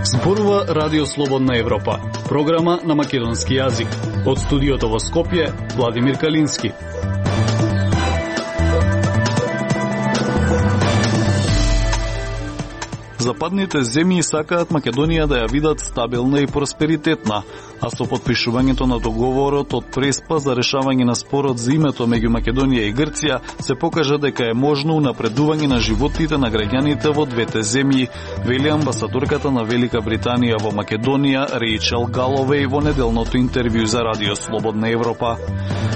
Зборува Радио Слободна Европа, програма на македонски јазик. Од студиото во Скопје, Владимир Калински. Западните земји сакаат Македонија да ја видат стабилна и просперитетна, а со подпишувањето на договорот од Преспа за решавање на спорот за името меѓу Македонија и Грција се покажа дека е можно унапредување на животите на граѓаните во двете земји, вели амбасадорката на Велика Британија во Македонија Рейчел Галовеј во неделното интервју за Радио Слободна Европа.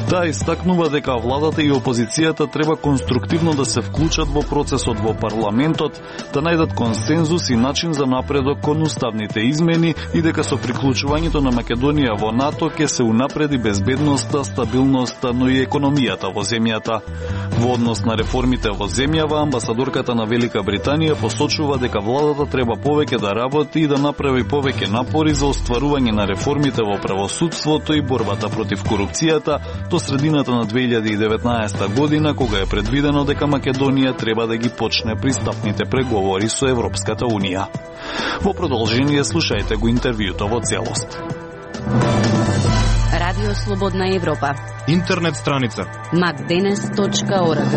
Таа истакнува дека владата и опозицијата треба конструктивно да се вклучат во процесот во парламентот, да најдат консензус и начин за напредок кон уставните измени и дека со приклучувањето на Македонија во НАТО ќе се унапреди безбедноста, стабилноста, но и економијата во земјата. Во однос на реформите во земјава, амбасадорката на Велика Британија посочува дека владата треба повеќе да работи и да направи повеќе напори за остварување на реформите во правосудството и борбата против корупцијата до средината на 2019 година, кога е предвидено дека Македонија треба да ги почне пристапните преговори со Европската Унија. Во продолжение слушајте го интервјуто во целост. Радио Слободна Европа. Интернет страница macdenes.org.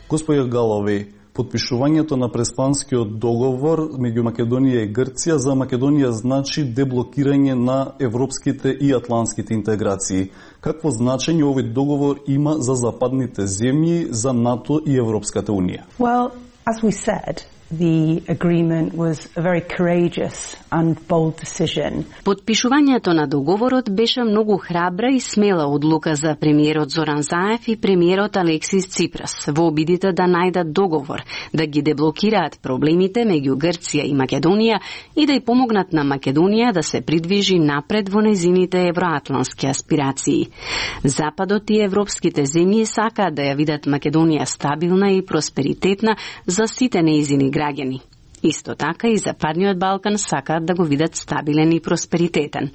Господја Галовеј, подпишувањето на Преспанскиот договор меѓу Македонија и Грција за Македонија значи деблокирање на европските и атлантските интеграции. Какво значење овој договор има за западните земји, за НАТО и Европската Унија? Well, as we said, the agreement was a very courageous and bold decision. Подпишувањето на договорот беше многу храбра и смела одлука за премиерот Зоран Заев и премиерот Алексис Ципрас во обидите да најдат договор, да ги деблокираат проблемите меѓу Грција и Македонија и да ја помогнат на Македонија да се придвижи напред во нејзините евроатлантски аспирации. Западот и европските земји сакаат да ја видат Македонија стабилна и просперитетна за сите нејзини граѓани. Исто така и Западниот Балкан сакаат да го видат стабилен и просперитетен.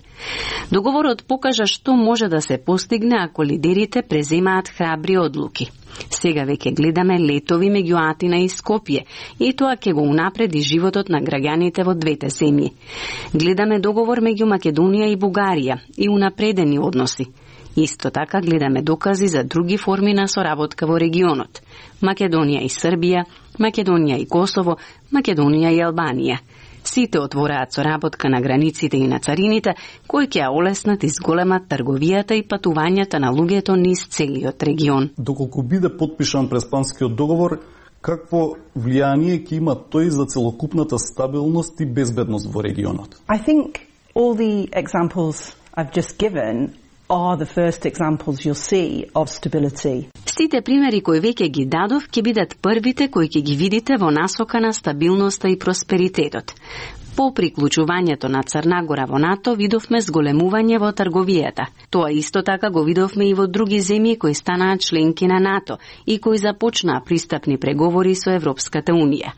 Договорот покажа што може да се постигне ако лидерите преземаат храбри одлуки. Сега веќе гледаме летови меѓу Атина и Скопје и тоа ќе го унапреди животот на граѓаните во двете земји. Гледаме договор меѓу Македонија и Бугарија и унапредени односи. Исто така гледаме докази за други форми на соработка во регионот. Македонија и Србија, Македонија и Косово, Македонија и Албанија. Сите отвораат соработка на границите и на царините, кои ќе ја олеснат и зголемат трговијата и патувањата на луѓето низ целиот регион. Доколку биде подпишан Преспанскиот договор, какво влијание ќе има тој за целокупната стабилност и безбедност во регионот? I think all the examples I've just given are the first examples you'll see of stability. Сите примери кои веќе ги дадов ќе бидат првите кои ќе ги видите во насока на стабилноста и просперитетот. По приклучувањето на Црна Гора во НАТО видовме зголемување во трговијата. Тоа исто така го видовме и во други земји кои станаа членки на НАТО и кои започнаа пристапни преговори со Европската Унија.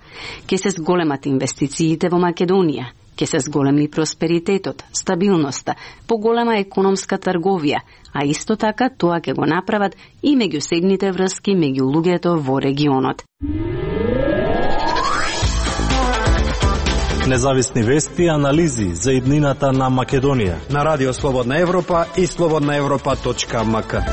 Ке се зголемат инвестициите во Македонија. Ке се зголеми просперитетот, стабилноста, поголема економска трговија, а исто така тоа ќе го направат и меѓусебните врски меѓу луѓето во регионот. Независни вести и анализи за иднината на Македонија на Радио Слободна Европа и slobodnaevropa.mk.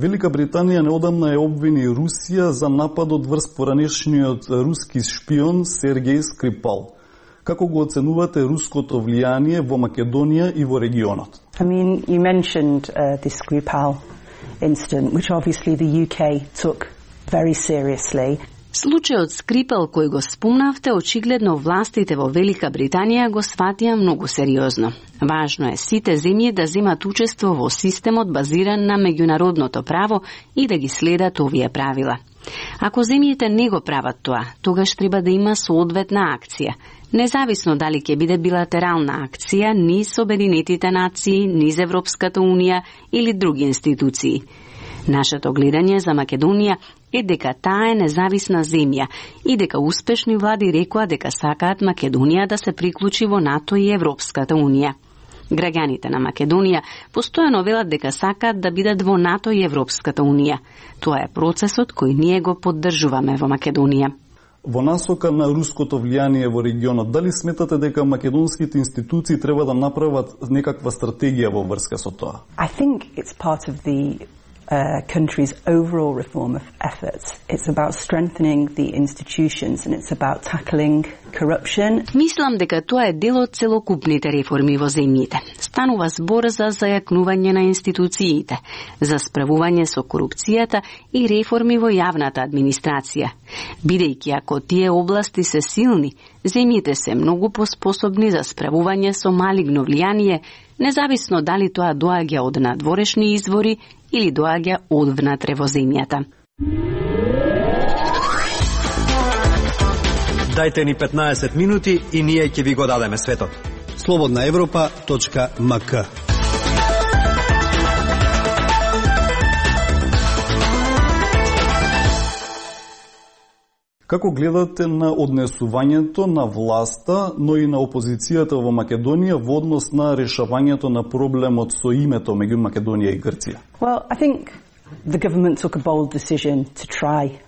Велика Британија неодамна ја обвини Русија за нападот врз поранешниот руски шпион Сергеј Скрипал. Како го оценувате руското влијание во Македонија и во регионот? I mean, you mentioned this Skripal incident, which obviously the UK took very seriously. Случајот Скрипал кој го спомнавте, очигледно властите во Велика Британија го сватија многу сериозно. Важно е сите земји да земат учество во системот базиран на меѓународното право и да ги следат овие правила. Ако земјите не го прават тоа, тогаш треба да има соодветна акција. Независно дали ќе биде билатерална акција низ Обединетите нации, низ Европската Унија или други институции. Нашето гледање за Македонија е дека таа е независна земја и дека успешни влади рекоа дека сакаат Македонија да се приклучи во НАТО и Европската Унија. Граѓаните на Македонија постојано велат дека сакаат да бидат во НАТО и Европската Унија. Тоа е процесот кој ние го поддржуваме во Македонија. Во насока на руското влијание во регионот, дали сметате дека македонските институции треба да направат некаква стратегија во врска со тоа? I think it's part of the country's overall reform of efforts. It's about strengthening the institutions and it's about tackling corruption. Мислам дека тоа е дел од целокупните реформи во земјите. Станува збор за зајакнување на институциите, за справување со корупцијата и реформи во јавната администрација. Бидејќи ако тие области се силни, земјите се многу поспособни за справување со малигно влијание, независно дали тоа доаѓа од надворешни извори или доаѓа одвнатре во земјата. Дајте ни 15 минути и ние ќе ви го дадеме светот. slobodnaevropa.mk. Како гледате на однесувањето на власта, но и на опозицијата во Македонија во однос на решавањето на проблемот со името меѓу Македонија и Грција? Well, I think the government took a bold decision to try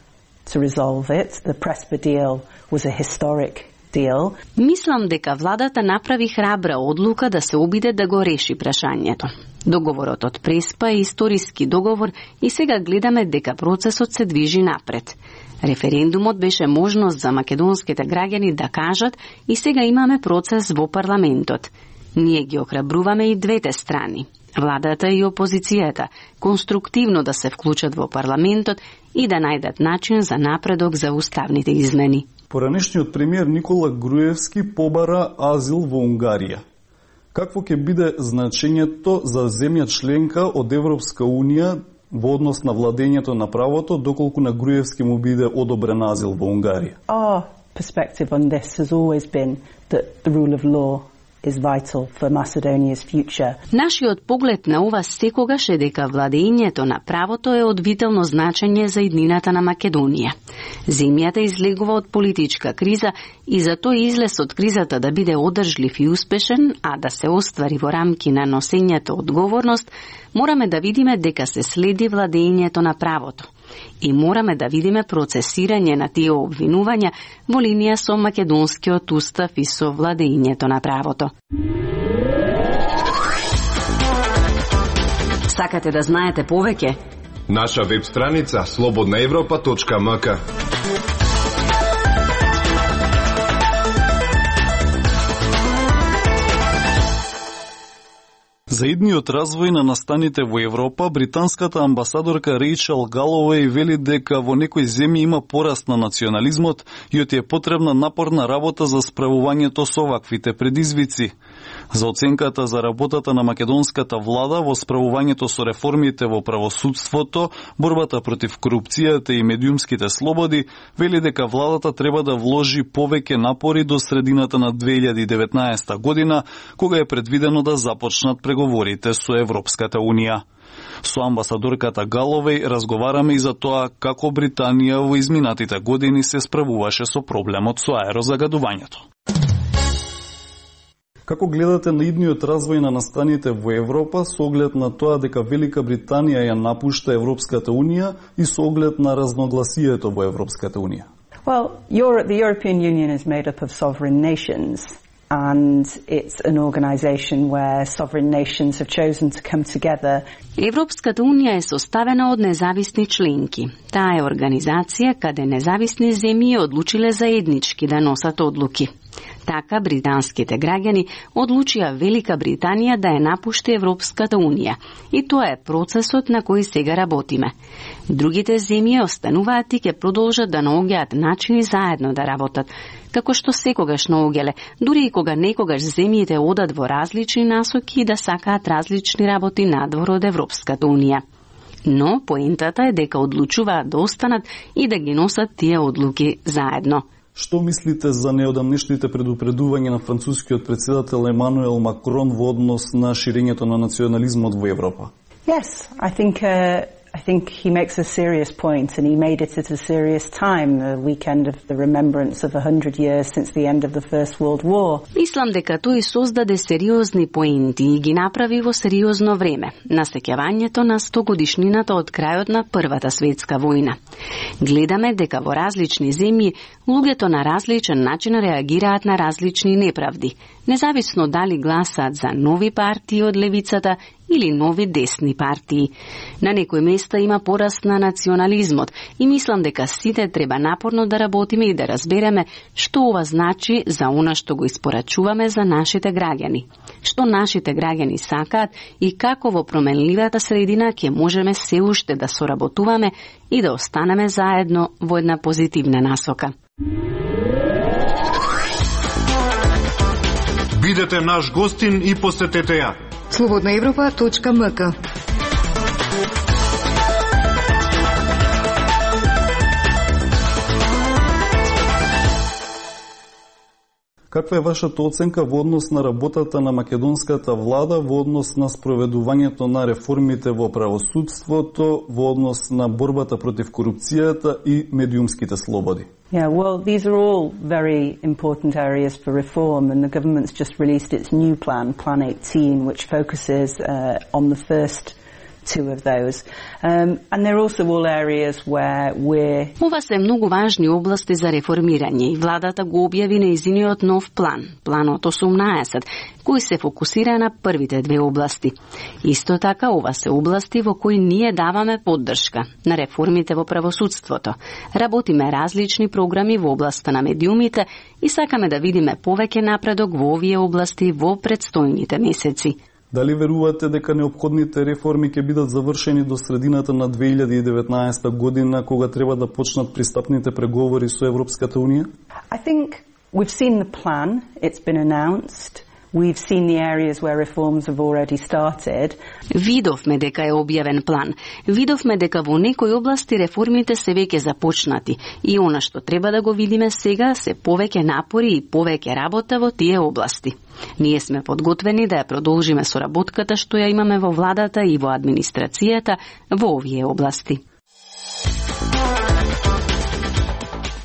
to resolve it. The Prespa deal was a historic deal. Мислам дека владата направи храбра одлука да се обиде да го реши прашањето. Договорот од Преспа е историски договор и сега гледаме дека процесот се движи напред. Референдумот беше можност за македонските граѓани да кажат и сега имаме процес во парламентот. Ние ги охрабруваме и двете страни, владата и опозицијата, конструктивно да се вклучат во парламентот и да најдат начин за напредок за уставните измени. Поранешниот премиер Никола Груевски побара азил во Унгарија. Какво ќе биде значењето за земја членка од Европска Унија во однос на владењето на правото, доколку на Груевски му биде одобрен азил во Унгарија? Our perspective on this has always been that the rule of law is vital for Macedonia's future. Нашиот поглед на ова секогаш е дека владењето на правото е од витално значење за иднината на Македонија. Земјата излегува од политичка криза и затоа излез од кризата да биде одржлив и успешен, а да се оствари во рамки на носењето одговорност, мораме да видиме дека се следи владењето на правото. И мораме да видиме процесирање на тие обвинувања во линија со македонскиот устав и со владењето на правото. Сакате да знаете повеќе? Наша веб страница slobodnaevropa.mk. За идниот развој на настаните во Европа, британската амбасадорка Рейчел Галовеј вели дека во некои земји има пораст на национализмот и оти е потребна напорна работа за справувањето со ваквите предизвици. За оценката за работата на македонската влада во справувањето со реформите во правосудството, борбата против корупцијата и медиумските слободи, вели дека владата треба да вложи повеќе напори до средината на 2019 година, кога е предвидено да започнат преговорите со Европската Унија. Со амбасадорката Галовеј разговараме и за тоа како Британија во изминатите години се справуваше со проблемот со аерозагадувањето. Како гледате на идниот развој на настаните во Европа со оглед на тоа дека Велика Британија ја напушта Европската Унија и со оглед на разногласието во Европската Унија? Well, the European Union is made up of sovereign nations, and it's an organisation where sovereign nations have chosen to come together. Европската Унија е составена од независни членки. Таа е организација каде независни земји одлучиле заеднички да носат одлуки. Така британските граѓани одлучија Велика Британија да ја напушти Европската Унија. И тоа е процесот на кој сега работиме. Другите земји остануваат и ќе продолжат да наоѓаат начини заедно да работат, како што секогаш наоѓале, дури и кога некогаш земјите одат во различни насоки и да сакаат различни работи надвор од Европската Унија. Но поентата е дека одлучуваат да останат и да ги носат тие одлуки заедно. Што мислите за неодамнешните предупредувања на францускиот председател Емануел Макрон во однос на ширењето на национализмот во Европа? Yes, I think I think he makes a serious point, and he made it at a serious time, the weekend of the remembrance of 100 years since the end of the First World War. Мислам дека тој создаде сериозни поенти и ги направи во сериозно време, на сеќавањето на 100-годишнината од крајот на Првата светска војна. Гледаме дека во различни земји луѓето на различен начин реагираат на различни неправди, независно дали гласаат за нови партии од левицата или нови десни партии. На некои места има пораст на национализмот и мислам дека сите треба напорно да работиме и да разбереме што ова значи за она што го испорачуваме за нашите граѓани, што нашите граѓани сакаат и како во променливата средина ќе можеме се уште да соработуваме и да останеме заедно во една позитивна насока. Бидете наш гостин и посетете ја. Slobodnaevropa.mk. Каква е вашата оценка во однос на работата на македонската влада, во однос на спроведувањето на реформите во правосудството, во однос на борбата против корупцијата и медиумските слободи? Yeah, well, these are all very important areas for reform, and the government's just released its new plan, Plan 18, which focuses on the first two of those. And they're also all areas where we're... Ова се многу важни области за реформирање и владата го објави нејзиниот нов план, планот 18, кој се фокусира на првите две области. Исто така, ова се области во кои ние даваме поддршка на реформите во правосудството. Работиме различни програми во областа на медиумите и сакаме да видиме повеќе напредок во овие области во предстојните месеци. Дали верувате дека неопходните реформи ќе бидат завршени до средината на 2019 година, кога треба да почнат пристапните преговори со Европската Унија? I think we've seen the plan, it's been announced. We've seen the areas where reforms have already started. Видовме дека е објавен план. Видовме дека во некои области реформите се веќе започнати и она што треба да го видиме сега се повеќе напори и повеќе работа во тие области. Ние сме подготвени да ја продолжиме соработката што ја имаме во владата и во администрацијата во овие области.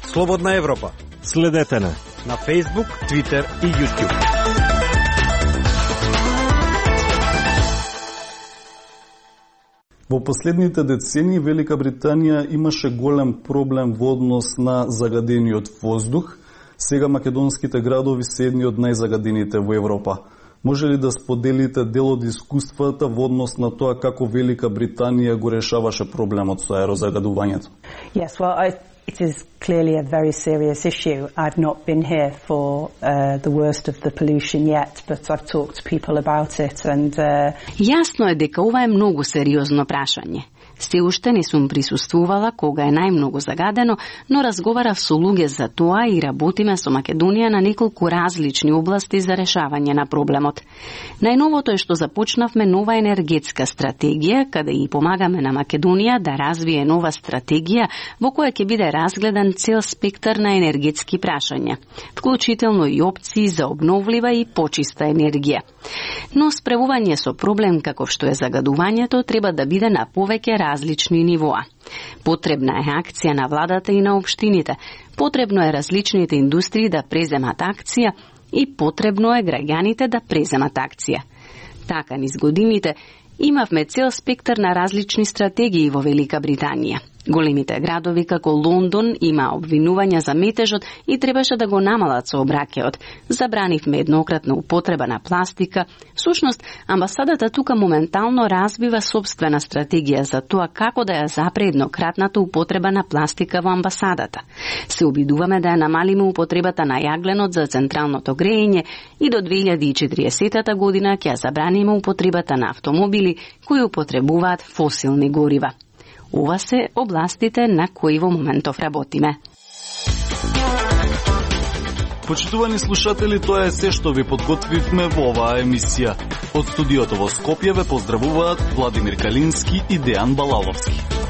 Слободна Европа. Следете на Facebook, Twitter и YouTube. Во последните децении Велика Британија имаше голем проблем во однос на загадениот воздух. Сега македонските градови се едни од најзагадените во Европа. Може ли да споделите дел од искуствата во однос на тоа како Велика Британија го решаваше проблемот со аерозагадувањето? Yes, well, it is clearly a very serious issue. I've not been here for the worst of the pollution yet, but I've talked to people about it and Јасно е дека ова е многу сериозно прашање. Се уште не сум присуствувала кога е најмногу загадено, но разговарав со луѓе за тоа и работиме со Македонија на неколку различни области за решавање на проблемот. Најновото е што започнавме нова енергетска стратегија, каде и помагаме на Македонија да развие нова стратегија во која ќе биде разгледан цел спектар на енергетски прашања, вклучително и опции за обновлива и почиста енергија. Но справување со проблем каков што е загадувањето треба да биде на повеќе различни нивоа. Потребна е акција на владата и на општините, потребно е различните индустрии да преземат акција и потребно е граѓаните да преземат акција. Така низ годините имавме цел спектар на различни стратегии во Велика Британија. Големите градови како Лондон има обвинувања за метежот и требаше да го намалат сообраќајот. Забранивме еднократна употреба на пластика. Всушност, амбасадата тука моментално развива собствена стратегија за тоа како да ја запре еднократната употреба на пластика во амбасадата. Се обидуваме да ја намалиме употребата на јагленот за централното грејење и до 2040 година ќе ја забраниме употребата на автомобили кои употребуваат фосилни горива. Ова се областите на кои во моментов работиме. Почитувани слушатели, тоа е се што ви подготвивме во оваа емисија. Од студиото во Скопје ве поздравуваат Владимир Калински и Дејан Балаловски.